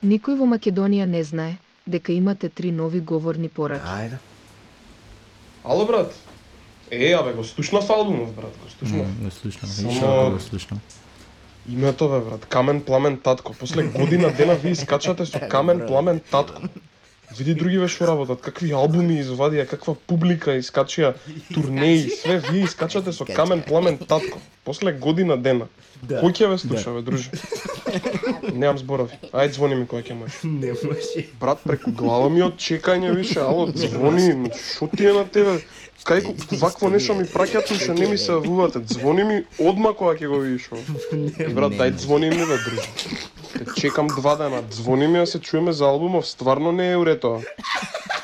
Никој во Македонија не знае дека имате 3 нови говорни пораки. Ајде. Ало, брат. Абе, го слушнав албумов, брат, го слушнав. Го слушнам. Само- И што го слушнам. Името, бе, брат, Камен Пламен Татко. После година дена ви искачате со Камен Пламен Татко. Види другиве што работат, какви албуми извадија, каква публика искачија, турнеи, све ви искачате со Камен Пламен Татко. После година дена. Да. Кој ќе ве слуша, бе, друже? Немам зборови. Ајде звони ми кога ќе можеш. Не може. Брат, преку глава ми од чекање више, ало, звони, шо ти е на тебе? Кај вакво нешто ми праќат, што не ми се јавувате. Звони ми одма кога ќе го видиш. Брат, дај звони ми, бе, друже. Те чекам 2 дена. Звони ми да се чуеме за албумов, стварно не е уред тоа.